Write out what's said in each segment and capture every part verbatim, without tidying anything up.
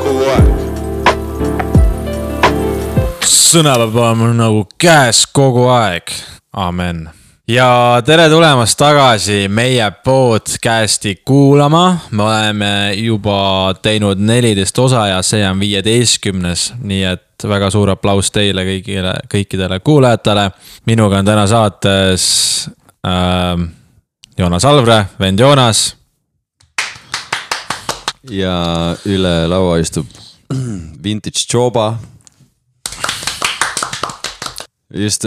kogu aeg. Sõnapäev on nagu käes kogu aeg. Amen. Ja tere tulemast tagasi meie podcasti kuulama. Me oleme juba teinud neliteist osa ja see on viieteistkümnes. Nii et väga suur aplaus teile kõigile, kõikidele kuulajatele. Minuga on täna saates äh, Joonas Alvre, vend Joonas. Ja üle laua istub Vintage Joba. Just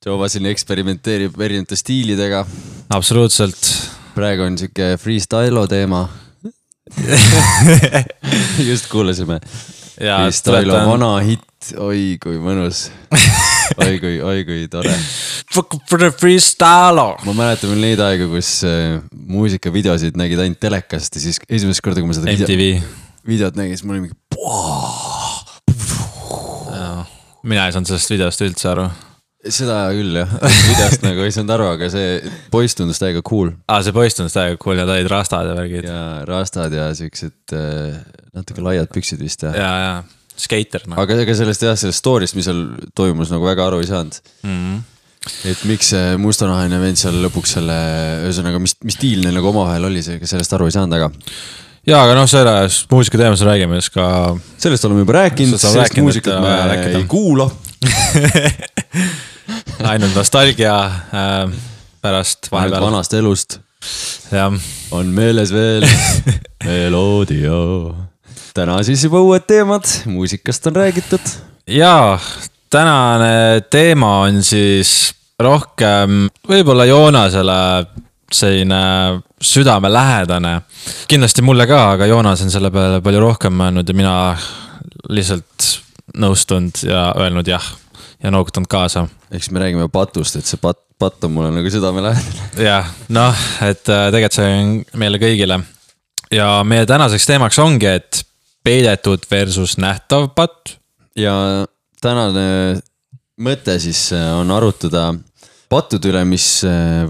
Joba siin eksperimenteerib erinevate stiilidega. Absoluutselt. Praegu on siuke freestylo teema. Just kuulasime. Ja, freestylo tuletan... vana hit. Oi kui mõnus. Oi kui, oi kui tore. Fuck for the freestylo. Ma mäletan veel neid aega, kus muusikavideosid nägid ainult telekast ja siis esimest korda, kui ma seda M T V video, videot nägin, siis mul oli mingi mina ei saanud sellest videost üldse aru. Seda küll jah, videost nagu ei saanud aru, aga see poiss tundus täiega cool. Aa, see poiss tundus täiega cool ja ta olid rastad ja värgid. Ja rastad ja siuksed äh, natuke laiad püksid vist. Ja, ja, ja. Skater. No. Aga ega sellest jah, sellest story'st, mis seal toimus, nagu väga aru ei saanud. Mm-hmm. Et miks see mustanahaline vend seal lõpuks selle, ühesõnaga, mis, mis stiil neil nagu omavahel oli, see, sellest aru ei saanud, aga... Ja, aga noh, sellest muusika teemas räägime, siis ka... Sellest oleme juba rääkinud, sellest rääkinud, muusikat me rääkida. Ei kuula. Ainult nostalgia äh, pärast vahepeal. Ainult vanast elust. Ja. On meeles veel meloodia. Täna siis juba uued teemad, muusikast on räägitud. Jaa, tänane teema on siis rohkem võib-olla Joonasele selline südame lähedane. Kindlasti mulle ka, aga Joonas on selle peale palju rohkem mõelnud ja mina lihtsalt nõustunud ja öelnud jah ja noogutanud kaasa. Eks me räägime patust, et see pat, pat on mulle nagu südame lähedane. Jah, noh, et tegelikult see on meile kõigile. Ja meie tänaseks teemaks ongi, et peidetud versus nähtav patt. Ja tänane mõte siis on arutada pattud üle, mis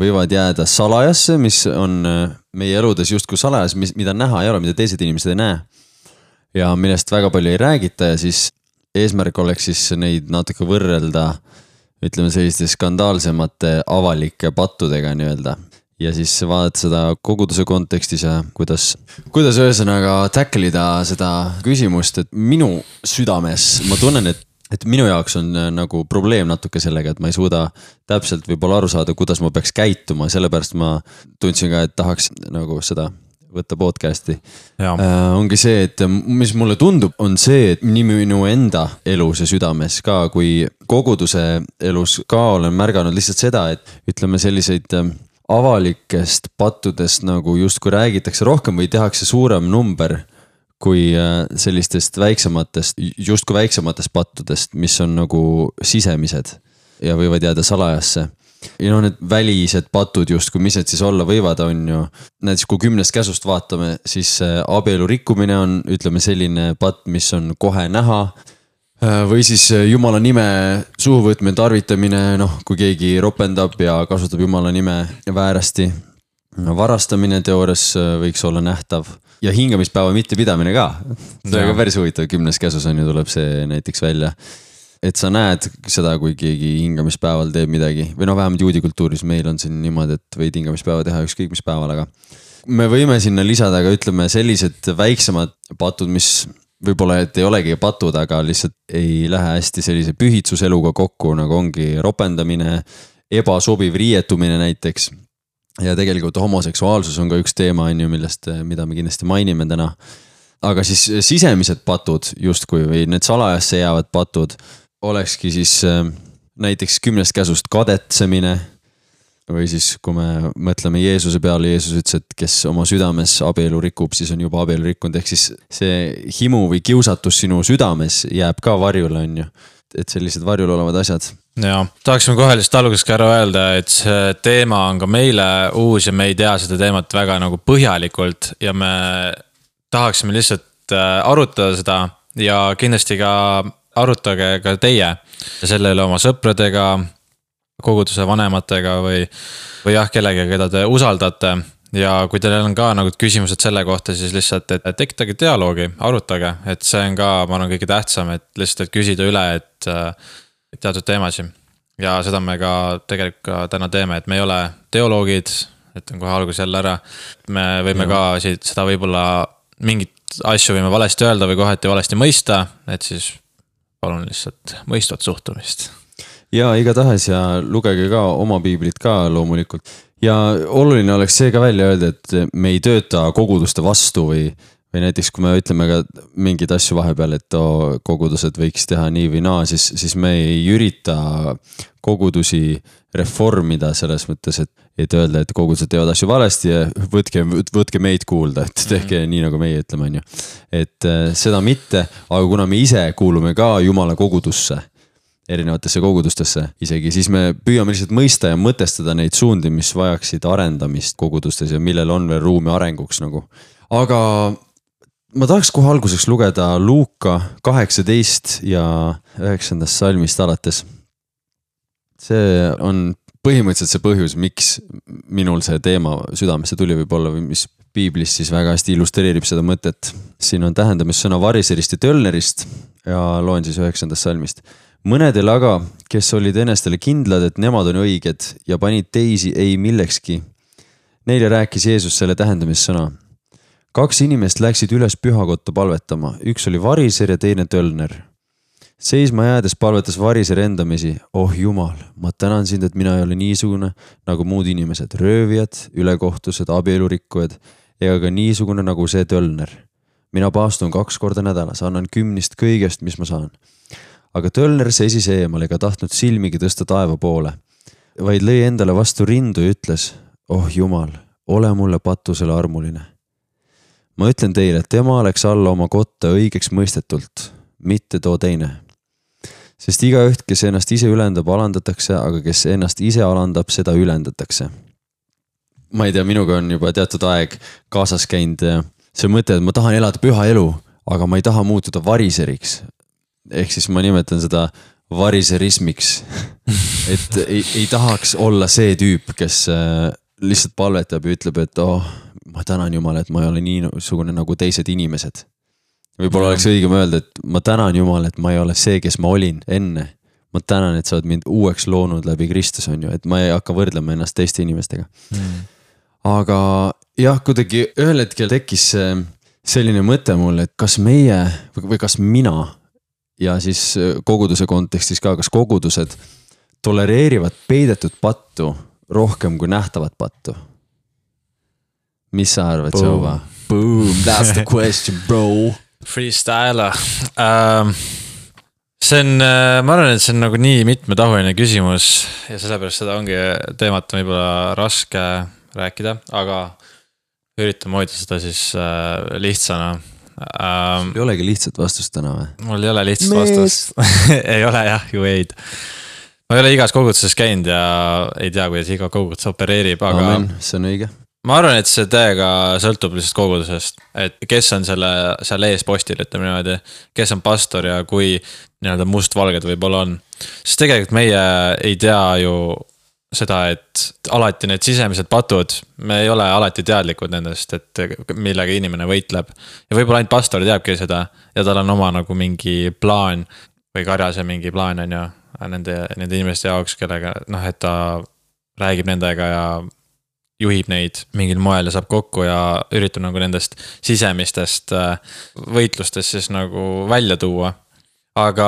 võivad jääda salajasse, mis on meie eludes justkui salajas, mida näha ei ole, mida teised inimesed ei näe. Ja millest väga palju ei räägita ja siis eesmärk oleks siis neid natuke võrrelda, ütleme selliste skandaalsemate avalike pattudega nii-öelda. Ja siis vaadata seda koguduse kontekstis ja kuidas, kuidas ühesõnaga tacklida seda küsimust, et minu südames ma tunnen, et et minu jaoks on nagu probleem natuke sellega, et ma ei suuda täpselt võib-olla aru saada, kuidas ma peaks käituma, sellepärast ma tundsin ka, et tahaks nagu seda võtta podcasti. Äh, ongi see, et mis mulle tundub, on see, et nii minu enda elus ja südames ka, kui koguduse elus ka olen märganud lihtsalt seda, et ütleme selliseid avalikest pattudest nagu justkui räägitakse rohkem või tehakse suurem number kui sellistest väiksematest, justkui väiksematest pattudest, mis on nagu sisemised ja võivad jääda salajasse. Ja no need välised patud justkui, mis need siis olla võivad, on ju. Näiteks kui kümnest käsust vaatame, siis abielu rikkumine on, ütleme, selline patt, mis on kohe näha. Või siis Jumala nime suhuvõtme tarvitamine, noh, kui keegi ropendab ja kasutab Jumala nime väärasti. Varastamine teoorias võiks olla nähtav. Ja hingamispäeva mitte pidamine ka. See on ka päris huvitav, kümnes käsus on ju tuleb see näiteks välja. Et sa näed seda, kui keegi hingamispäeval teeb midagi. Või no vähemalt juudi kultuuris meil on siin niimoodi, et võid hingamispäeva teha ükskõik mis päeval, aga me võime sinna lisada, aga ütleme sellised väiksemad patud, mis võib-olla et ei olegi patud, aga lihtsalt ei lähe hästi sellise pühitsuseluga kokku, nagu ongi ropendamine, ebasobiv riietumine näiteks. Ja tegelikult homoseksuaalsus on ka üks teema, millest, mida me kindlasti mainime täna. Aga siis sisemised patud justkui või need salajasse jäävad patud olekski siis näiteks kümnest käsust kadetsemine või siis kui me mõtleme Jeesuse peale, Jeesus ütles, et kes oma südames abielu rikub, siis on juba abielu rikkunud. Ehk siis see himu või kiusatus sinu südames jääb ka varjule, on ju. Et sellised varjul olevad asjad. Ja, tahaksime kohe lihtsalt alguses ka ära öelda, et see teema on ka meile uus ja me ei tea seda teemat väga nagu põhjalikult ja me tahaksime lihtsalt arutada seda ja kindlasti ka arutage ka teie selle üle oma sõpradega, koguduse vanematega või, või jah, kellega, keda te usaldate ja kui teil on ka nagu küsimused selle kohta, siis lihtsalt, et tekitage dialoogi, arutage, et see on ka, ma arvan, kõige tähtsam, et lihtsalt et küsida üle, et teatud teemasi. Ja seda me ka tegelikult ka täna teeme, et me ei ole teoloogid, et on kohe algus jälle ära. Me võime ja. ka siit, seda võib-olla mingit asju võime valesti öelda või kohati valesti mõista, et siis palun lihtsalt mõistvat suhtumist. Ja igatahes ja lugege ka oma piiblit ka loomulikult. Ja oluline oleks see ka välja öelda, et me ei tööta koguduste vastu või, või näiteks kui me ütleme ka mingid asju vahepeal, et oh, kogudused võiks teha nii või naa, siis, siis me ei ürita kogudusi reformida selles mõttes, et, et öelda, et kogudused teevad asju valesti ja võtke, võtke meid kuulda, et tehke mm-hmm. nii nagu meie ütleme, on ju. Et seda mitte, aga kuna me ise kuulume ka Jumala kogudusse, erinevatesse kogudustesse isegi, siis me püüame lihtsalt mõista ja mõtestada neid suundi, mis vajaksid arendamist kogudustes ja millel on veel ruumi arenguks nagu. Aga ma tahaks kohe alguseks lugeda Luuka kaheksateist ja üheksandast salmist alates. See on põhimõtteliselt see põhjus, miks minul see teema südamesse tuli võib-olla või mis piiblis siis väga hästi illustreerib seda mõtet. Siin on tähendamissõna variserist ja tölnerist ja loen siis üheksandast salmist. Mõnedel aga, kes olid enestele kindlad, et nemad on õiged ja panid teisi ei millekski. Neile rääkis Jeesus selle tähendamissõna. Kaks inimest läksid üles pühakotta palvetama. Üks oli variser ja teine tölner. Seisma jäädes palvetas variser endamisi. Oh Jumal, ma tänan sind, et mina ei ole niisugune nagu muud inimesed. Röövijad, ülekohtused, abielurikkujad ega ka niisugune nagu see tölner. Mina paastun kaks korda nädalas, annan kümnist kõigest, mis ma saan. Aga tölner seisis eemal ega tahtnud silmigi tõsta taeva poole, vaid lõi endale vastu rindu ja ütles, oh Jumal, ole mulle patusele armuline. Ma ütlen teile, et tema läks alla oma kotta õigeks mõistetult, mitte too teine. Sest igaüht, kes ennast ise ülendab, alandatakse, aga kes ennast ise alandab, seda ülendatakse. Ma ei tea, minuga on juba teatud aeg kaasas käinud see mõte, et ma tahan elada püha elu, aga ma ei taha muutuda variseriks. Ehk siis ma nimetan seda variserismiks, et ei, ei tahaks olla see tüüp, kes lihtsalt palvetab ja ütleb, et oh, ma tänan Jumal, et ma ei ole niisugune nagu teised inimesed. Võib-olla oleks õigem öelda, et ma tänan Jumal, et ma ei ole see, kes ma olin enne. Ma tänan, et sa oled mind uueks loonud läbi Kristus, on ju, et ma ei hakka võrdlema ennast teiste inimestega. Mm. Aga jah, kuidagi ühel hetkel tekkis selline mõte mul, et kas meie või kas mina ja siis koguduse kontekstis ka, kas kogudused tolereerivad peidetud pattu rohkem kui nähtavat pattu? Mis sa arvad, Jova? Boom, that's the question, bro. Freestyler. Um, see on, ma arvan, et see on nagu nii mitmetahuline küsimus ja sellepärast seda ongi teemat võib-olla raske rääkida, aga üritame hoida seda siis lihtsana. Um, ei olegi lihtsat vastust täna või? Mul ei ole lihtsat vastust. Ei ole jah, ju ei. Ma ei ole igas koguduses käinud ja ei tea, kuidas iga kogudus opereerib, aga Amen, see on õige. Ma arvan, et see täiega sõltub lihtsalt kogudusest, et kes on selle, seal ees postil, ütleme niimoodi, kes on pastor ja kui nii-öelda mustvalged võib-olla on. Sest tegelikult meie ei tea ju seda, et alati need sisemised patud, me ei ole alati teadlikud nendest, et millega inimene võitleb. Ja võib-olla ainult pastor teabki seda ja tal on oma nagu mingi plaan või karjase mingi plaan on ju nende, nende inimeste jaoks, kellega, noh, et ta räägib nendega ja juhib neid mingil moel ja saab kokku ja üritab nagu nendest sisemistest võitlustest siis nagu välja tuua. Aga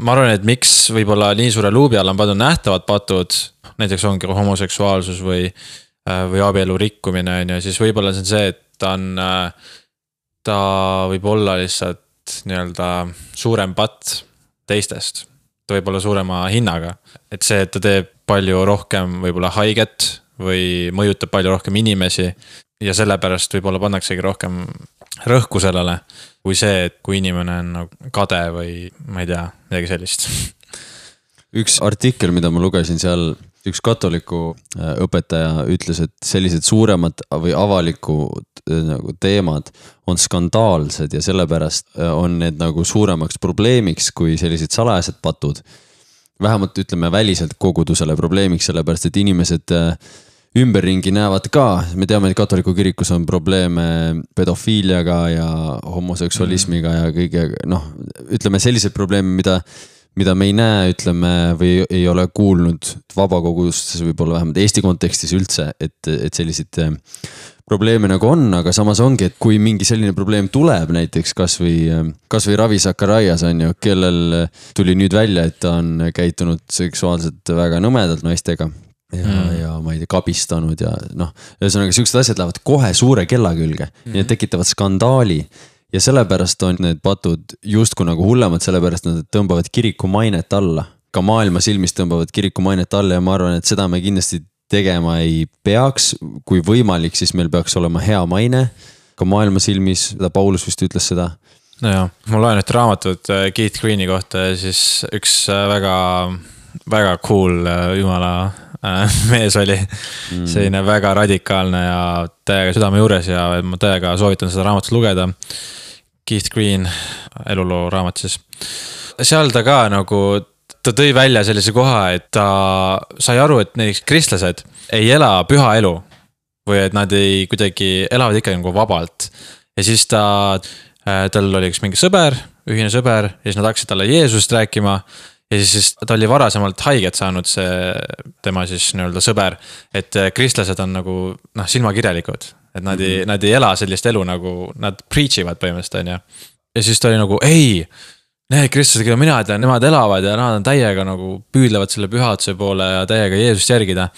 ma arvan, et miks võib-olla nii suure luubi all on pandud nähtavad patud, näiteks ongi homoseksuaalsus või, või abielu rikkumine, ja siis võib-olla see on see, et ta on, ta võib olla lihtsalt nii-öelda suurem patt teistest, ta võib olla suurema hinnaga, et see, et ta teeb palju rohkem võib-olla haiget või mõjutab palju rohkem inimesi ja sellepärast võib-olla pannaksegi rohkem rõhku sellele, kui see, et kui inimene on nagu kade või ma ei tea, midagi sellist. Üks artikkel, mida ma lugesin seal, üks katoliku õpetaja ütles, et sellised suuremad või avalikud nagu teemad on skandaalsed ja sellepärast on need nagu suuremaks probleemiks kui sellised salajased patud. Vähemalt ütleme väliselt kogudusele probleemiks, sellepärast et inimesed ümberringi näevad ka, me teame, et katoliku kirikus on probleeme pedofiiliaga ja homoseksualismiga ja kõige, noh, ütleme sellised probleeme, mida, mida me ei näe, ütleme, või ei ole kuulnud vabakogustes, võib-olla vähemalt Eesti kontekstis üldse, et, et sellised probleeme nagu on, aga samas ongi, et kui mingi selline probleem tuleb näiteks kas või, kas või Ravi Zacharias on ju, kellel tuli nüüd välja, et ta on käitunud seksuaalselt väga nõmedalt naistega. Ja, mm. ja ma ei tea, kabistanud ja noh, ühesõnaga siuksed asjad lähevad kohe suure kella külge mm. ja tekitavad skandaali ja sellepärast on need patud justkui nagu hullemad, sellepärast nad tõmbavad kiriku mainet alla. Ka maailma silmis tõmbavad kiriku mainet alla ja ma arvan, et seda me kindlasti tegema ei peaks. Kui võimalik, siis meil peaks olema hea maine ka maailma silmis, seda Paulus vist ütles seda. No jah, ma loen nüüd raamatut Keith Greeni kohta ja siis üks väga, väga cool jumala mees oli mm. selline väga radikaalne ja täiega südame juures ja ma täiega soovitan seda raamatut lugeda. Keith Green, eluloo raamat siis. Seal ta ka nagu, ta tõi välja sellise koha, et ta sai aru, et näiteks kristlased ei ela püha elu või et nad ei kuidagi elavad ikka nagu vabalt. Ja siis ta, tal oli üks mingi sõber, ühine sõber ja siis nad hakkasid talle Jeesust rääkima. Ja siis ta oli varasemalt haiget saanud see tema siis nii-öelda sõber, et kristlased on nagu noh, silmakirjalikud, et nad ei, nad ei ela sellist elu nagu nad preach ivad põhimõtteliselt on ja. Ja siis ta oli nagu ei, need kristlased, keda mina tean, nemad elavad ja nad on täiega nagu püüdlevad selle pühaduse poole ja täiega Jeesust järgida.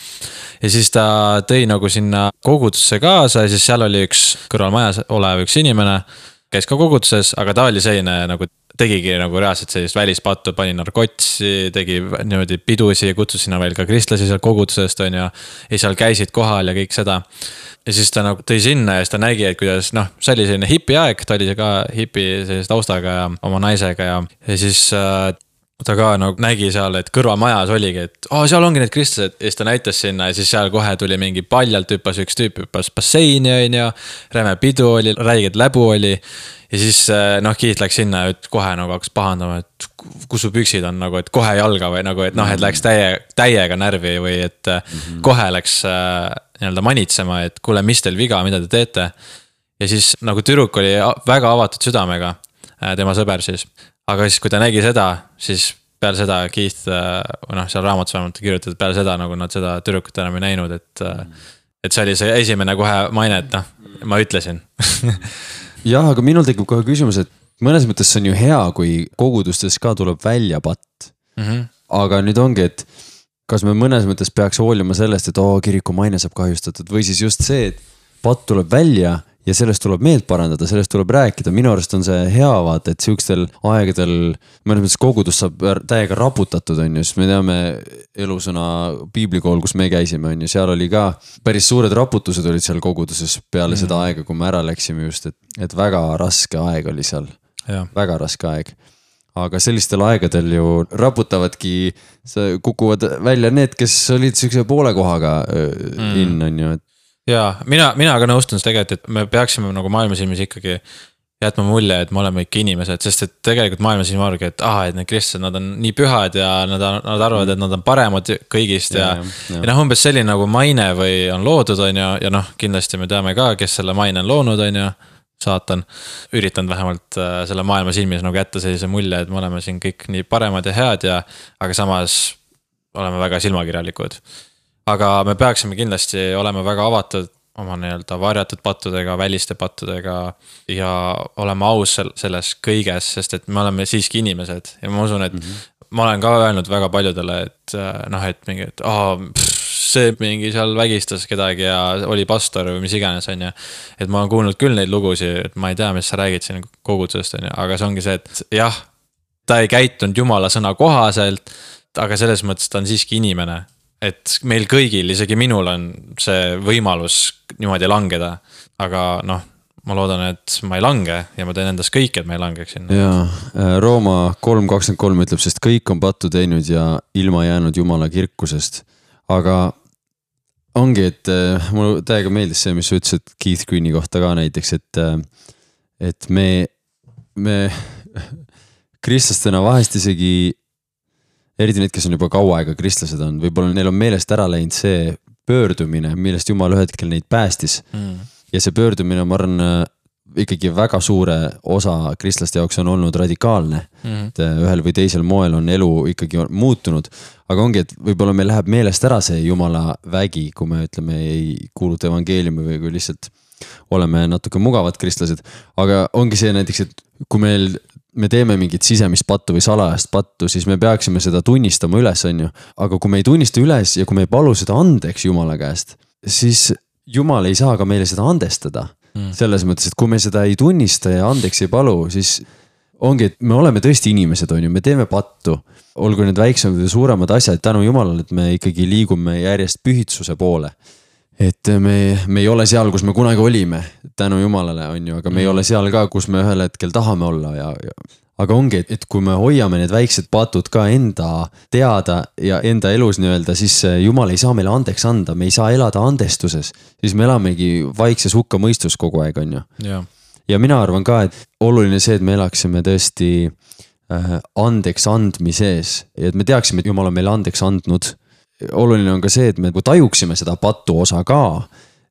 Ja siis ta tõi nagu sinna kogudusse kaasa ja siis seal oli üks kõrvalmajas olev üks inimene, käis ka koguduses, aga ta oli selline nagu tegigi nagu reaalselt sellist välispattu, pani narkotsi, tegi niimoodi pidusi ja kutsus sinna veel ka kristlasi seal kogudusest on ja, ja seal käisid kohal ja kõik seda. Ja siis ta nagu tõi sinna ja siis ta nägi, et kuidas noh, see oli selline hipi aeg, ta oli ka hipi sellist taustaga ja oma naisega ja, ja siis äh, ta ka nagu nägi seal, et kõrvamajas oligi, et oh, seal ongi need kristlased ja siis ta näitas sinna ja siis seal kohe tuli mingi paljalt hüppas üks tüüp, hüppas basseini on ja räme pidu oli, räiged läbu oli. Ja siis noh, Keith läks sinna ja kohe nagu hakkas pahandama, et kus su püksid on nagu, et kohe jalga või nagu, et noh, et läks täie, täiega närvi või et mm-hmm. kohe läks nii-öelda manitsema, et kuule, mis teil viga, mida te teete. Ja siis nagu tüdruk oli väga avatud südamega, tema sõber siis. Aga siis, kui ta nägi seda, siis peale seda Keith, noh, seal raamatus vähemalt kirjutatud, peale seda nagu nad seda tüdrukut enam ei näinud, et, et see oli see esimene kohe maine, et noh, ma ütlesin. Jah, aga minul tekib kohe küsimus, et mõnes mõttes see on ju hea, kui kogudustes ka tuleb välja patt. Mm-hmm. Aga nüüd ongi, et kas me mõnes mõttes peaks hoolima sellest, et oo, kiriku maine saab kahjustatud või siis just see, et patt tuleb välja ja sellest tuleb meelt parandada, sellest tuleb rääkida. Minu arust on see hea vaata, et siukstel aegadel mõnes mõttes kogudus saab täiega raputatud on ju, sest me teame elusõna piiblikool, kus me käisime on ju, seal oli ka päris suured raputused olid seal koguduses peale mm. seda aega, kui me ära läksime just, et, et väga raske aeg oli seal, ja. Väga raske aeg. Aga sellistel aegadel ju raputavadki, kukuvad välja need, kes olid siukse poole kohaga mm. in on ju, et ja mina, mina ka nõustun tegelikult, et me peaksime nagu maailmasilmis ikkagi jätma mulje, et me oleme ikka inimesed, sest et tegelikult maailmasilmis arvagi, et ah, et need kristlased, nad on nii pühad ja nad, nad arvavad, et nad on paremad kõigist ja, ja, ja. ja noh, umbes selline nagu maine või on loodud on ja, ja noh, kindlasti me teame ka, kes selle maine on loonud on ja saatan üritanud vähemalt selle maailmasilmis nagu jätta sellise mulje, et me oleme siin kõik nii paremad ja head ja, aga samas oleme väga silmakirjalikud. Aga me peaksime kindlasti olema väga avatud oma nii-öelda varjatud pattudega, väliste pattudega ja olema aus selles kõiges, sest et me oleme siiski inimesed ja ma usun, et mm-hmm. ma olen ka öelnud väga paljudele, et noh, et mingi, et oh, pff, see mingi seal vägistas kedagi ja oli pastor või mis iganes on ja, et ma olen kuulnud küll neid lugusi, et ma ei tea, mis sa räägid siin kogudusest on ja, aga see ongi see, et jah, ta ei käitunud jumala sõna kohaselt, aga selles mõttes ta on siiski inimene. Et meil kõigil, isegi minul on see võimalus niimoodi langeda, aga noh, ma loodan, et ma ei lange ja ma teen endast kõik, et ma ei langeks sinna. Jaa, Rooma kolm kakskümmend kolm ütleb, sest kõik on pattu teinud ja ilma jäänud jumala kirkusest. Aga ongi, et mulle täiega meeldis see, mis sa ütlesid Keith Greeni kohta ka näiteks, et, et me, me kristlastena vahest isegi eriti need, kes on juba kaua aega kristlased on, võib-olla neil on meelest ära läinud see pöördumine, millest Jumal ühe hetkel neid päästis mm. ja see pöördumine, ma arvan, ikkagi väga suure osa kristlaste jaoks on olnud radikaalne mm. et ühel või teisel moel on elu ikkagi muutunud, aga ongi, et võib-olla meil läheb meelest ära see Jumala vägi, kui me ütleme ei kuuluta evangeeliumi või kui lihtsalt oleme natuke mugavad kristlased, aga ongi see näiteks, et kui meil me teeme mingit sisemist pattu või salajast pattu, siis me peaksime seda tunnistama üles, on ju. Aga kui me ei tunnista üles ja kui me ei palu seda andeks Jumala käest, siis Jumal ei saa ka meile seda andestada. Mm. Selles mõttes, et kui me seda ei tunnista ja andeks ei palu, siis ongi, et me oleme tõesti inimesed, on ju, me teeme pattu. Olgu need väiksemad või suuremad asjad, tänu Jumalale, et me ikkagi liigume järjest pühitsuse poole. Et me, me ei ole seal, kus me kunagi olime, tänu Jumalale, on ju, aga me mm. ei ole seal ka, kus me ühel hetkel tahame olla ja, ja aga ongi, et kui me hoiame need väiksed patud ka enda teada ja enda elus nii-öelda, siis Jumal ei saa meile andeks anda, me ei saa elada andestuses, siis me elamegi vaikses hukka mõistus kogu aeg, on ju. Ja. ja mina arvan ka, et oluline see, et me elaksime tõesti äh, andeks andmises ja et me teaksime, et Jumal on meile andeks andnud. Oluline on ka see, et me tajuksime seda patu osa ka,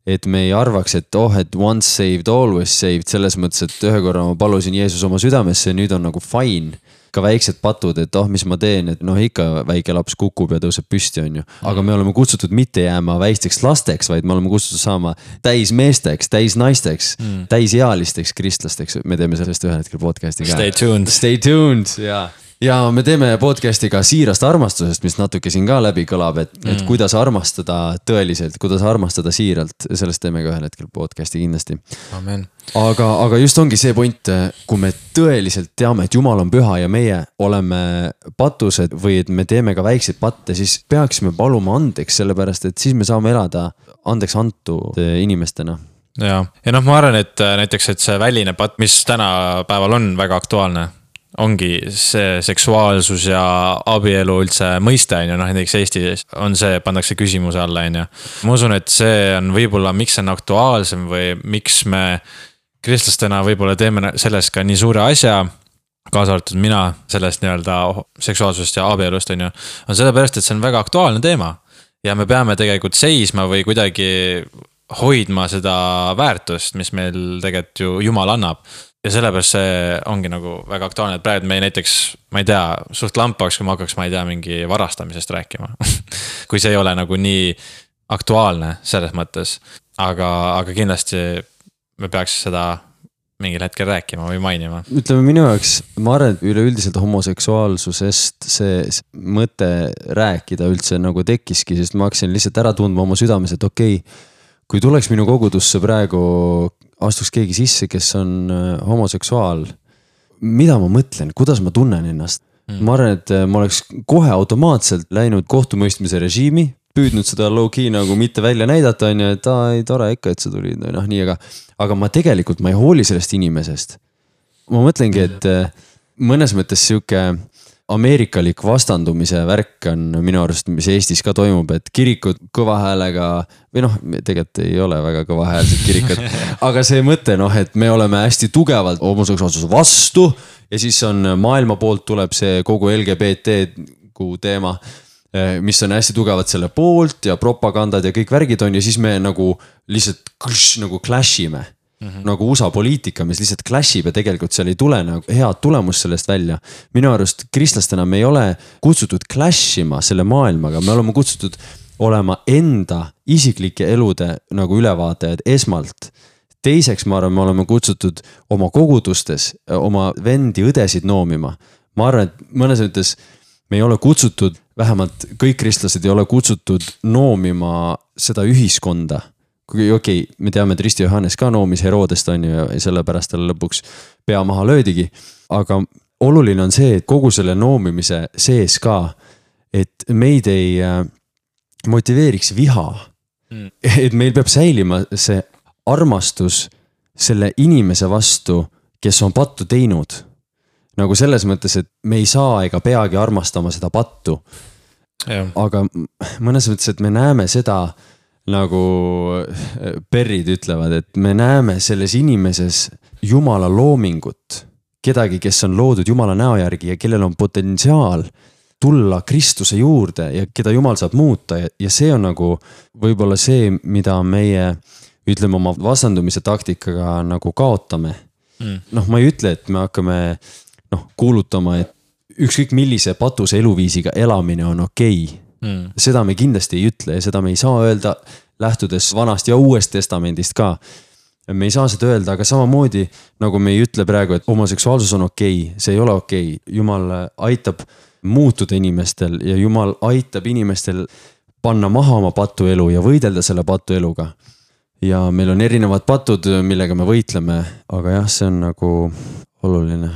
et me ei arvaks, et oh, et once saved, always saved, selles mõttes, et ühe korra ma palusin Jeesus oma südamesse ja nüüd on nagu fine. Ka väiksed patud, et oh, mis ma teen, et noh, ikka väike laps kukub ja tõuseb püsti, on ju. Aga me oleme kutsutud mitte jääma väisteks lasteks, vaid me oleme kutsutud saama täis meesteks, täis naisteks, mm. täis ealisteks kristlasteks. Me teeme sellest ühel hetkel podcasti ka. Stay tuned. Stay tuned, jaa. Ja me teeme podcasti ka siirast armastusest, mis natuke siin ka läbi kõlab, et, mm. et kuidas armastada tõeliselt, kuidas armastada siiralt, sellest teeme ka ühel hetkel podcasti kindlasti. Amen. Aga, aga just ongi see point, kui me tõeliselt teame, et Jumal on püha ja meie oleme patused või et me teeme ka väikseid patte, siis peaksime paluma andeks, sellepärast et siis me saame elada andeks antud inimestena. Ja, ja noh, ma arvan, et näiteks, et see väline patt, mis täna päeval on väga aktuaalne, ongi see seksuaalsus ja abielu üldse mõiste, on ju, noh, näiteks Eestis on see, pandakse küsimuse alla, on ju. Ma usun, et see on võib-olla, miks see on aktuaalsem või miks me kristlastena võib-olla teeme sellest ka nii suure asja, kaasa arvatud mina sellest nii-öelda seksuaalsusest ja abielust, on ju, on sellepärast, et see on väga aktuaalne teema ja me peame tegelikult seisma või kuidagi hoidma seda väärtust, mis meil tegelikult ju Jumal annab. Ja sellepärast see ongi nagu väga aktuaalne, et praegu me näiteks, ma ei tea, suht lampaks, kui ma hakkaks, ma ei tea, mingi varastamisest rääkima. Kui see ei ole nagu nii aktuaalne selles mõttes, aga, aga kindlasti me peaks seda mingil hetkel rääkima või mainima. Ütleme minu jaoks, ma arvan, et üleüldiselt homoseksuaalsusest see mõte rääkida üldse nagu tekkiski, sest ma hakkasin lihtsalt ära tundma oma südames, et okei, kui tuleks minu kogudusse praegu astuks keegi sisse, kes on homoseksuaal, mida ma mõtlen, kuidas ma tunnen ennast? Mm. Ma arvan, et ma oleks kohe automaatselt läinud kohtumõistmise režiimi, püüdnud seda low-key nagu mitte välja näidata, on ju, et aa, ei tore ikka, et sa tulid, noh nii, aga, aga ma tegelikult, ma ei hooli sellest inimesest. Ma mõtlengi, et mõnes mõttes siuke ameerikalik vastandumise värk on minu arust, mis Eestis ka toimub, et kirikud kõva häälega, või noh, tegelikult ei ole väga kõva häälsed kirikud, aga see mõte, noh, et me oleme hästi tugevalt homoseksuaalsuse vastu ja siis on maailma poolt tuleb see kogu L G B T teema, mis on hästi tugevalt selle poolt ja propagandad ja kõik värgid on ja siis me nagu lihtsalt kš, nagu clashime. Mm-hmm. Nagu U S A poliitika, mis lihtsalt clashib ja tegelikult seal ei tule nagu head tulemus sellest välja. Minu arust kristlastena me ei ole kutsutud clashima selle maailmaga, me oleme kutsutud olema enda isiklike elude nagu ülevaatajad esmalt. Teiseks ma arvan, me oleme kutsutud oma kogudustes, oma vendi õdesid noomima. Ma arvan, et mõnes mõttes me ei ole kutsutud, vähemalt kõik kristlased ei ole kutsutud noomima seda ühiskonda. Okei, okay, me teame, et Risti Johannes ka noomis Herodest on ju ja sellepärast talle lõpuks pea maha löödigi. Aga oluline on see, et kogu selle noomimise sees ka, et meid ei motiveeriks viha. Mm. Et meil peab säilima see armastus selle inimese vastu, kes on pattu teinud. Nagu selles mõttes, et me ei saa ega peagi armastama seda pattu. Ja. Aga mõnes mõttes, et me näeme seda nagu perrid ütlevad, et me näeme selles inimeses Jumala loomingut, kedagi, kes on loodud Jumala näo järgi ja kellel on potentsiaal tulla Kristuse juurde ja keda Jumal saab muuta ja, ja see on nagu võib-olla see, mida meie ütleme oma vastandumise taktikaga nagu kaotame. Mm. Noh, ma ei ütle, et me hakkame noh, kuulutama, et ükskõik millise patuse eluviisiga elamine on okei. Mm. Seda me kindlasti ei ütle ja seda me ei saa öelda lähtudes vanast ja uuest testamendist ka. Me ei saa seda öelda, aga samamoodi nagu me ei ütle praegu, et homoseksuaalsus on okei, see ei ole okei. Jumal aitab muutuda inimestel ja Jumal aitab inimestel panna maha oma patuelu ja võidelda selle patueluga. Ja meil on erinevad patud, millega me võitleme, aga jah, see on nagu oluline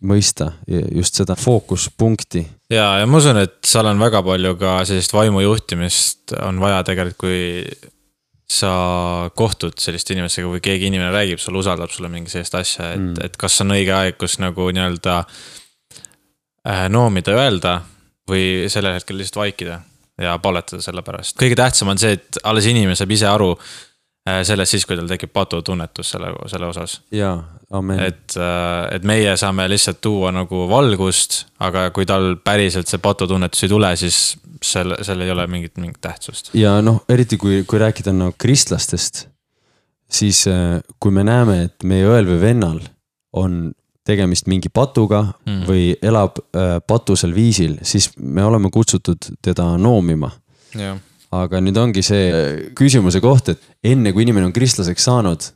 mõista just seda fookuspunkti. Ja, ja ma usun, et seal on väga palju ka sellist vaimujuhtimist on vaja tegelikult, kui sa kohtud sellist inimestega, kui keegi inimene räägib, sul usaldab sulle mingi sellist asja, et, mm. et kas on õige aeg, kus nagu nii-öelda äh, noomida öelda või sellel hetkel lihtsalt vaikida ja palletada selle pärast. Kõige tähtsam on see, et alles inimene saab ise aru äh, sellest siis, kui tal tekib patutunnetus selle, selle osas. Jaa, amen. Et, äh, et meie saame lihtsalt tuua nagu valgust, aga kui tal päriselt see patutunnetus ei tule, siis Selle, selle ei ole mingit, mingit tähtsust. Ja noh, eriti kui, kui rääkida no, kristlastest, siis kui me näeme, et meie õel või vennal on tegemist mingi patuga mm. või elab äh, patusel viisil, siis me oleme kutsutud teda noomima. Ja. Aga nüüd ongi see küsimuse koht, et enne kui inimene on kristlaseks saanud,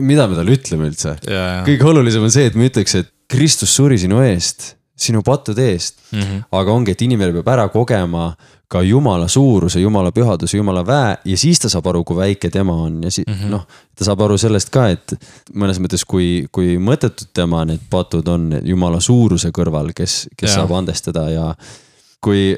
mida me talle ütleme üldse? Ja, ja. Kõige olulisem on see, et me ütleks, et Kristus suri sinu eest, sinu pattude eest, mm-hmm. aga ongi, et inimene peab ära kogema ka Jumala suuruse, Jumala pühaduse, Jumala väe ja siis ta saab aru, kui väike tema on ja si- mm-hmm. noh, ta saab aru sellest ka, et mõnes mõttes, kui, kui mõttetud tema need patud on Jumala suuruse kõrval, kes, kes ja. Saab andestada ja kui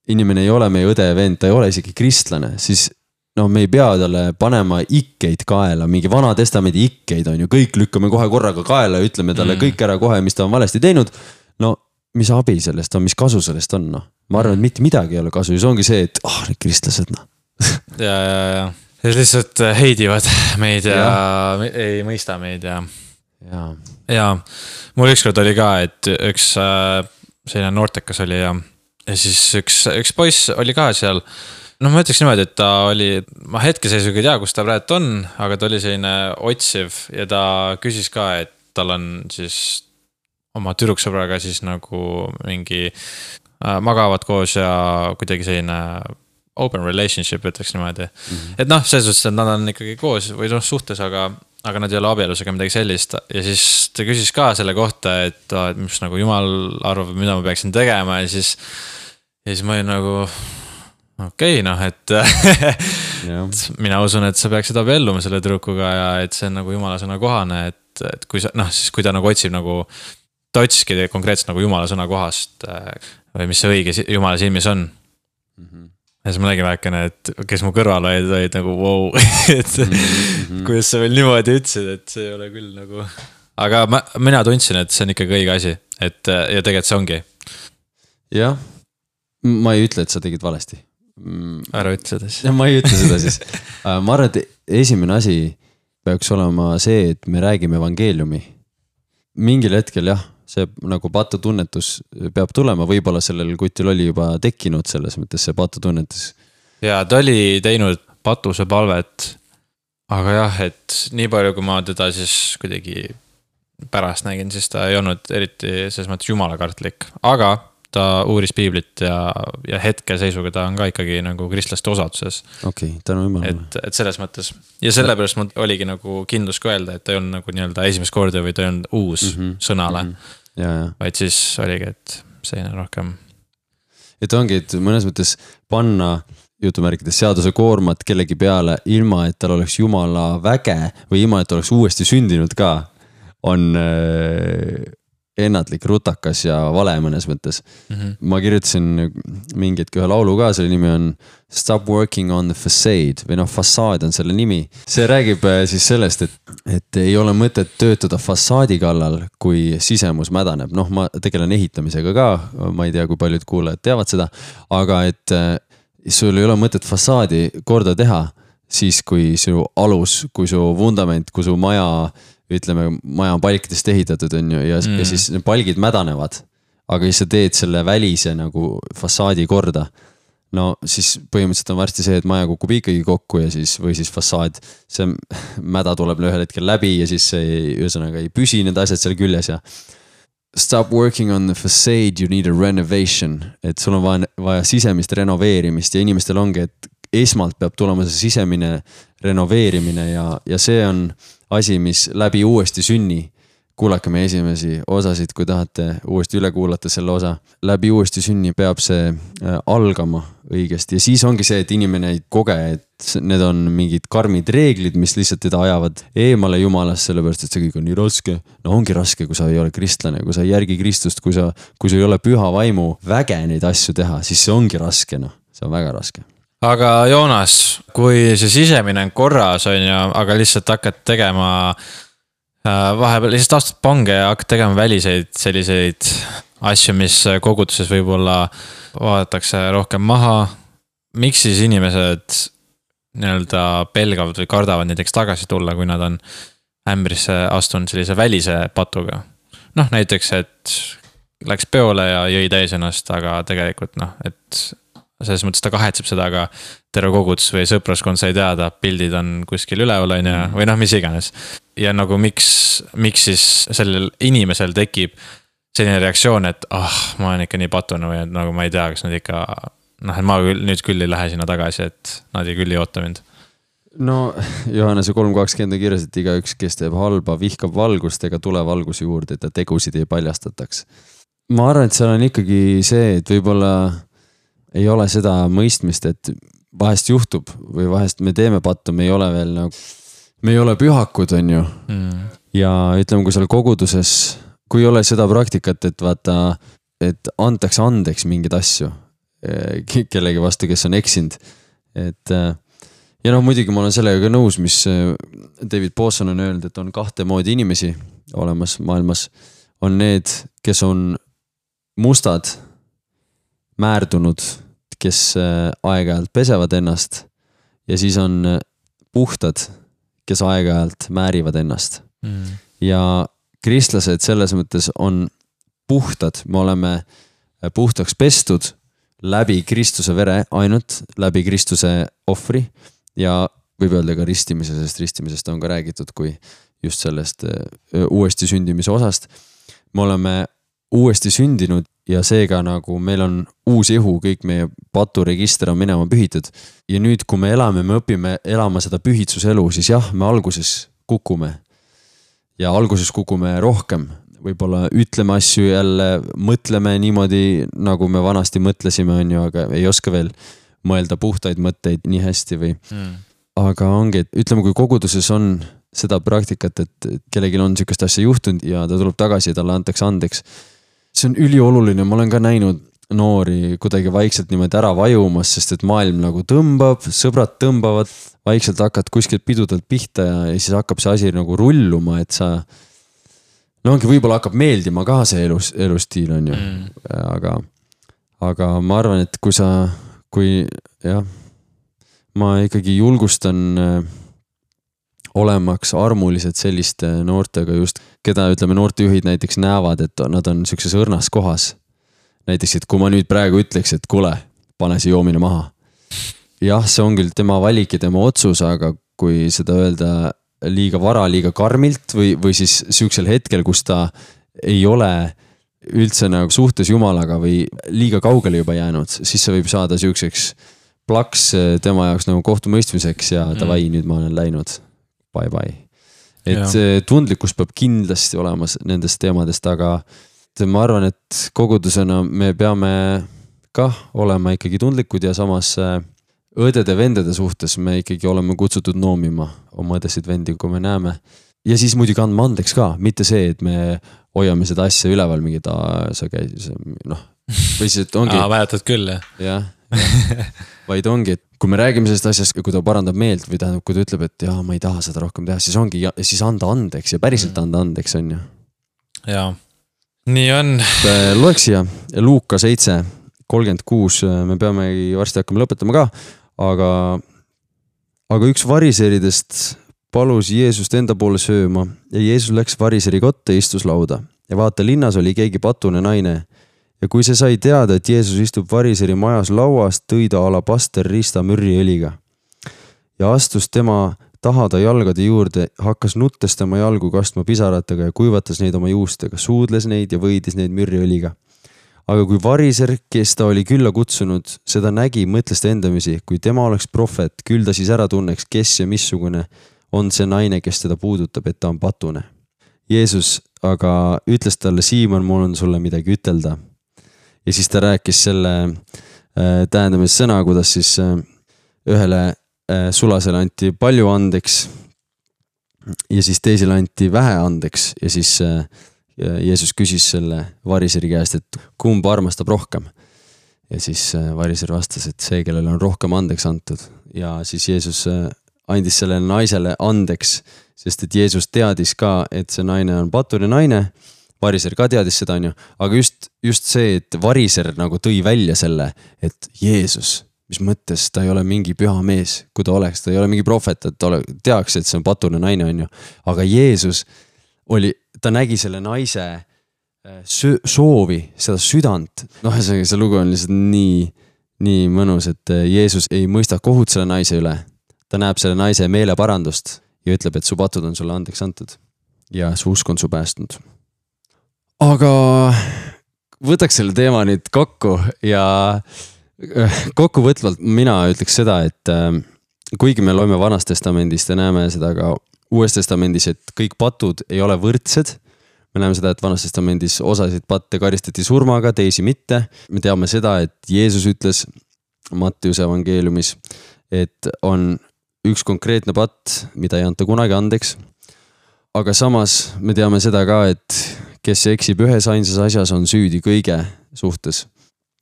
inimene ei ole meie õde ja vend, ta ei ole isegi kristlane, siis no me ei pea talle panema ikkeid kaela, mingi vana testamendi ikkeid on ju, kõik lükkame kohe korraga kaela ja ütleme talle mm. kõik ära kohe, mis ta on valesti teinud. No mis abi sellest on, mis kasu sellest on, noh. Ma arvan, et mitte midagi ei ole kasu ja see ongi see, et ah, oh, need kristlased, noh. ja, ja, ja. Ja lihtsalt heidivad meid ja, ja ei mõista meid ja. Ja. Ja mul ükskord oli ka, et üks selline noortekas oli ja, ja siis üks, üks poiss oli ka seal. No ma ütleks niimoodi, et ta oli, ma hetkeseisuga ei tea, kus ta praegu on, aga ta oli selline otsiv ja ta küsis ka, et tal on siis oma tüdruksõbraga siis nagu mingi äh, magavad koos ja kuidagi selline open relationship, ütleks niimoodi. Mm-hmm. Et noh, selles suhtes, et nad on ikkagi koos või noh suhtes, aga, aga nad ei ole abielus ega midagi sellist. Ja siis ta küsis ka selle kohta, et, et mis nagu Jumal arvab, mida ma peaksin tegema ja siis, ja siis ma olin nagu okei, okay, noh, et mina usun, et sa peaksid abielluma selle tüdrukuga ja et see on nagu Jumala sõna kohane, et, et kui sa, noh, siis kui ta nagu otsib nagu ta otsiski konkreetselt nagu Jumala sõna kohast või mis see õige Jumala silmis on. Mm-hmm. Ja siis ma nägin väikene, et kes mu kõrval olid, olid nagu wow, et mm-hmm. kuidas sa veel niimoodi ütlesid, et see ei ole küll nagu. Aga ma, mina tundsin, et see on ikkagi õige asi, et ja tegelikult see ongi. Jah, ma ei ütle, et sa tegid valesti. Ära ütle seda siis. Ma ei ütle seda siis. Ma arvan, et esimene asi peaks olema see, et me räägime evangeeliumi. Mingil hetkel jah, see nagu patutunnetus peab tulema, võib-olla sellel kutil oli juba tekkinud selles mõttes see patutunnetus. Ja ta oli teinud patuse palvet, aga jah, et nii palju, kui ma teda siis kuidagi pärast nägin, siis ta ei olnud eriti selles mõttes jumalakartlik, aga ta uuris piiblit ja, ja hetke seisuga ta on ka ikkagi nagu kristlaste osaduses. Okei, okay, tänu jumalale. Et, et selles mõttes. Ja sellepärast mul oligi nagu kindlus ka öelda, et ta ei olnud nagu nii-öelda esimest korda või ta ei olnud uus mm-hmm. sõnale. Mm-hmm. Ja, ja. Vaid siis oligi, et selline rohkem. Et ongi, et mõnes mõttes panna jutumärkides seaduse koormat kellegi peale ilma, et tal oleks Jumala väge või ilma, et oleks uuesti sündinud ka, on äh, ennatlik, rutakas ja vale mõnes mõttes. Mm-hmm. Ma kirjutasin mingit ühe laulu ka, selle nimi on Stop Working on the Facade või noh, fassaad on selle nimi. See räägib siis sellest, et, et ei ole mõtet töötada fassaadi kallal, kui sisemus mädaneb. Noh, ma tegelen ehitamisega ka, ma ei tea, kui paljud kuulajad teavad seda, aga et sul ei ole mõtet fassaadi korda teha siis, kui su alus, kui su vundament, kui su maja ütleme, maja on palkidest ehitatud on ju, ja, mm. ja siis palgid mädanevad. aga siis sa teed selle välise nagu fassaadi korda. No siis põhimõtteliselt on varsti see, et maja kukub ikkagi kokku ja siis, või siis fassaad, see mäda tuleb ühel hetkel läbi ja siis see ühesõnaga ei püsi need asjad seal küljes ja stop working on the facade, you need a renovation, et sul on vaja, vaja sisemist renoveerimist ja inimestel ongi, et esmalt peab tulema see sisemine renoveerimine ja, ja see on asi, mis läbi uuesti sünni. Kuulake meie esimesi osasid, kui tahate uuesti üle kuulata selle osa. Läbi uuesti sünni peab see algama õigesti ja siis ongi see, et inimene ei koge, et need on mingid karmid reeglid, mis lihtsalt teda ajavad eemale jumalast, sellepärast, et see kõik on nii raske. No ongi raske, kui sa ei ole kristlane, kui sa ei järgi Kristust, kui sa, kui sa ei ole püha vaimu väge neid asju teha, siis see ongi raske, noh, see on väga raske. Aga Joonas, kui see sisemine on korras, on ju, aga lihtsalt hakkad tegema vahepeal lihtsalt astud pange ja hakkad tegema väliseid selliseid asju, mis koguduses võib-olla vaadatakse rohkem maha. Miks siis inimesed nii-öelda pelgavad või kardavad näiteks tagasi tulla, kui nad on ämbrisse astunud sellise välise patuga? Noh, näiteks, et läks peole ja jõi täis ennast, aga tegelikult noh, et selles mõttes ta kahetseb seda, aga terve kogudus või sõpraskond sai teada, pildid on kuskil üleval on ja, või noh, mis iganes. Ja nagu miks, miks siis sellel inimesel tekib selline reaktsioon, et ah, ma olen ikka nii patune või et nagu ma ei tea, kas nad ikka, noh, et ma küll, nüüd küll ei lähe sinna tagasi, et nad ei küll ei oota mind. No Johannese kolm kakskümmend kirjas, et iga üks, kes teeb halba, vihkab valgust ega tule valguse juurde, et ta tegusid ei paljastataks. Ma arvan, et seal on ikkagi see, et võib-olla ei ole seda mõistmist, et vahest juhtub või vahest me teeme pattu, me ei ole veel nagu, me ei ole pühakud, on ju. Mm. Ja ütleme, kui seal koguduses, kui ei ole seda praktikat, et vaata, et antaks andeks mingid asju kellegi vastu, kes on eksinud. Et, ja noh, muidugi ma olen sellega nõus, mis David Pawson on öelnud, et on kahte moodi inimesi olemas maailmas. On need, kes on mustad, määrdunud, kes aeg-ajalt pesevad ennast ja siis on puhtad, kes aeg-ajalt määrivad ennast. Mm. Ja kristlased selles mõttes on puhtad, me oleme puhtaks pestud läbi Kristuse vere ainult, läbi Kristuse ohvri ja võib öelda ka ristimise, sest ristimisest on ka räägitud kui just sellest uuesti sündimise osast. Me oleme uuesti sündinud ja seega nagu meil on uus ihu, kõik meie paturegister on minema pühitud. Ja nüüd, kui me elame, me õpime elama seda pühitsuselu, siis jah, me alguses kukume. Ja alguses kukume rohkem. Võib-olla ütleme asju jälle, mõtleme niimoodi, nagu me vanasti mõtlesime, on ju, aga ei oska veel mõelda puhtaid mõtteid nii hästi või. Mm. Aga ongi, et ütleme, kui koguduses on seda praktikat, et kellelgi on niisugust asja juhtunud ja ta tuleb tagasi ja talle antakse andeks. See on ülioluline, ma olen ka näinud noori kuidagi vaikselt niimoodi ära vajumas, sest et maailm nagu tõmbab, sõbrad tõmbavad, vaikselt hakkad kuskilt pidudelt pihta ja, ja siis hakkab see asi nagu rulluma, et sa no ongi võib-olla hakkab meeldima ka see elus, elustiil on ju, mm. aga, aga ma arvan, et kui sa, kui jah, ma ikkagi julgustan olemaks armulised selliste noortega just, keda ütleme noortejuhid näiteks näevad, et nad on niisuguses õrnas kohas. Näiteks, et kui ma nüüd praegu ütleks, et kuule, pane see joomine maha. Jah, see on küll tema valik ja tema otsus, aga kui seda öelda liiga vara, liiga karmilt või, või siis niisugusel hetkel, kus ta ei ole üldse nagu suhtes Jumalaga või liiga kaugele juba jäänud, siis see võib saada niisuguseks plaks tema jaoks nagu kohtumõistmiseks ja davai, mm. nüüd ma olen läinud. Bye bye. Et ja. Tundlikkus peab kindlasti olema nendest teemadest, aga ma arvan, et kogudusena me peame kah olema ikkagi tundlikud ja samas õdede-vendede suhtes me ikkagi oleme kutsutud noomima oma õdesid-vendi, kui me näeme. Ja siis muidugi andma andeks ka, mitte see, et me hoiame seda asja üleval mingi ta, sa käis, noh, või siis, et ongi. Aa, mäletad küll, jah. Jah, ja. Vaid ongi, et kui me räägime sellest asjast, kui ta parandab meelt või tähendab, kui ta ütleb, et jaa, ma ei taha seda rohkem teha, siis ongi, ja siis anda andeks ja päriselt anda andeks on ju. Jaa, nii on. Loeks siia, Luuka seitse kolmkümmend kuus, me peame varsti hakkama lõpetama ka, aga, aga üks variseridest palus Jeesust enda poole sööma ja Jeesus läks variseri kotta ja istus lauda. Ja vaata, linnas oli keegi patune naine, Ja kui see sai teada, et Jeesus istub variseri majas lauas, tõi ta alabaster riista mürriõliga ja astus tema taha ta jalgade juurde, hakkas nuttes tema jalgu kastma pisaratega ja kuivatas neid oma juustega, suudles neid ja võidis neid mürriõliga. Aga kui variser, kes ta oli külla kutsunud, seda nägi, mõtles ta endamisi, kui tema oleks prohvet, küll ta siis ära tunneks, kes ja missugune on see naine, kes teda puudutab, et ta on patune. Jeesus aga ütles talle, Siimon, mul on sulle midagi ütelda. Ja siis ta rääkis selle äh, tähendamise sõna, kuidas siis äh, ühele äh, sulasele anti palju andeks ja siis teisele anti vähe andeks ja siis äh, Jeesus küsis selle variseri käest, et kumb armastab rohkem. Ja siis variser vastas, et see, kellel on rohkem andeks antud. Ja siis Jeesus andis sellele naisele andeks, sest et Jeesus teadis ka, et see naine on patune naine. Variser ka teadis seda, on ju. Aga just, just see, et variser nagu tõi välja selle, et Jeesus, mis mõttes ta ei ole mingi püha mees, kui ta oleks, ta ei ole mingi prohvet, et ta ole, teaks, et see on patune naine, on ju. Aga Jeesus oli, ta nägi selle naise soovi, seda südant. Noh, see lugu on lihtsalt nii, nii mõnus, et Jeesus ei mõista kohut selle naise üle. Ta näeb selle naise meeleparandust ja ütleb, et su patud on sulle andeks antud. Ja su usk on su päästnud. Aga võtaks selle teema nüüd kokku ja kokkuvõtvalt mina ütleks seda, et kuigi me loeme Vanast testamendist ja näeme seda ka Uues testamendis, et kõik patud ei ole võrdsed. Me näeme seda, et Vanas testamendis osasid patte karistati surmaga, teisi mitte. Me teame seda, et Jeesus ütles Mattiuse evangeeliumis, et on üks konkreetne patt, mida ei anta kunagi andeks. Aga samas me teame seda ka, et kes eksib ühes ainsas asjas, on süüdi kõige suhtes.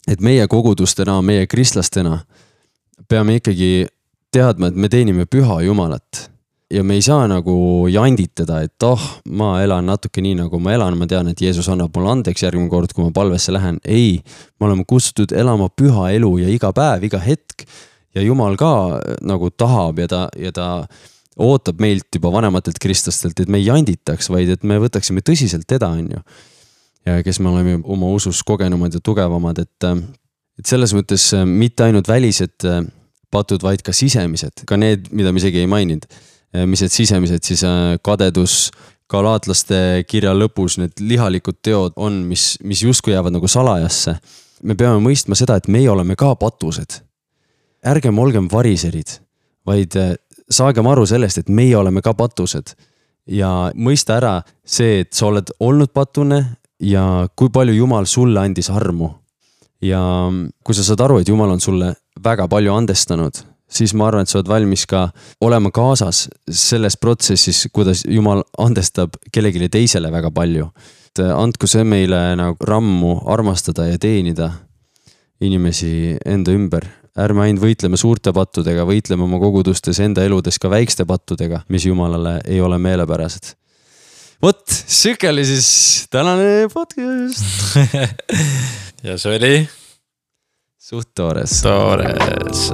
Et meie kogudustena, meie kristlastena peame ikkagi teadma, et me teenime püha Jumalat. Ja me ei saa nagu janditada, et oh, ma elan natuke nii, nagu ma elan. Ma tean, et Jeesus annab mulle andeks järgmine kord, kui ma palvesse lähen. Ei, me oleme kutsutud elama püha elu ja iga päev, iga hetk. Ja Jumal ka nagu tahab ja ta, ja ta ootab meilt juba vanematelt kristlastelt, et me ei janditaks, vaid et me võtaksime tõsiselt teda, on ju. Ja kes me oleme oma usus kogenumad ja tugevamad, et, et selles mõttes mitte ainult välised patud, vaid ka sisemised. Ka need, mida me isegi ei maininud. Mis need sisemised, siis kadedus, galaatlaste kirja lõpus, need lihalikud teod on, mis, mis justkui jäävad nagu salajasse. Me peame mõistma seda, et meie oleme ka patused. Ärgem olgem variserid, vaid saagem aru sellest, et meie oleme ka patused. Ja mõista ära see, et sa oled olnud patune ja kui palju Jumal sulle andis armu. Ja kui sa saad aru, et Jumal on sulle väga palju andestanud, siis ma arvan, et sa oled valmis ka olema kaasas selles protsessis, kuidas Jumal andestab kellegile teisele väga palju. Et andku see meile nagu rammu armastada ja teenida inimesi enda ümber. Ärme ainult võitleme suurte pattudega, võitleme oma kogudustes enda eludes ka väikste pattudega, mis Jumalale ei ole meelepärased. Vot, süke oli siis tänane podcast. Ja see oli suht toores. Toores.